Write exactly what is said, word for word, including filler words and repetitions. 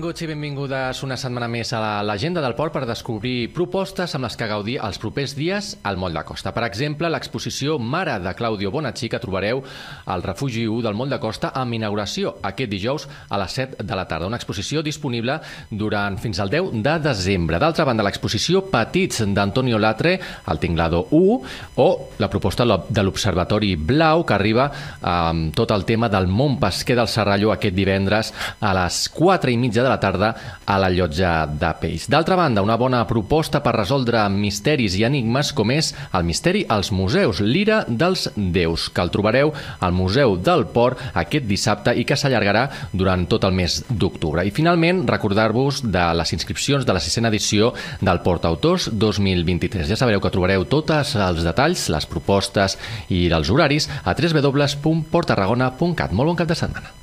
Benvinguts i benvingudes una setmana més a l'Agenda del Port per descobrir propostes amb les que gaudir els propers dies al Moll de Costa. Per exemple, l'exposició Mare de Claudio Bonacci que trobareu al Refugi u del Moll de Costa amb inauguració aquest dijous a les set de la tarda. Una exposició disponible durant fins al deu de desembre. D'altra banda, l'exposició Petits d'Antonio Latre al Tinglado u o la proposta de l'Observatori Blau que arriba amb tot el tema del món pesquer del Serralló aquest divendres a les quatre i mitja de la tarda a la Llotja de Peix. D'altra banda, una bona proposta per resoldre misteris i enigmes com és el misteri als museus, l'Ira dels Déus, que el trobareu al Museu del Port aquest dissabte i que s'allargarà durant tot el mes d'octubre. I finalment, recordar-vos de les inscripcions de la sisena edició del Port Autors dos mil vint-i-tres. Ja sabeu que trobareu tots els detalls, les propostes i dels horaris a w w w punt port tarragona punt cat. Molt bon cap de setmana.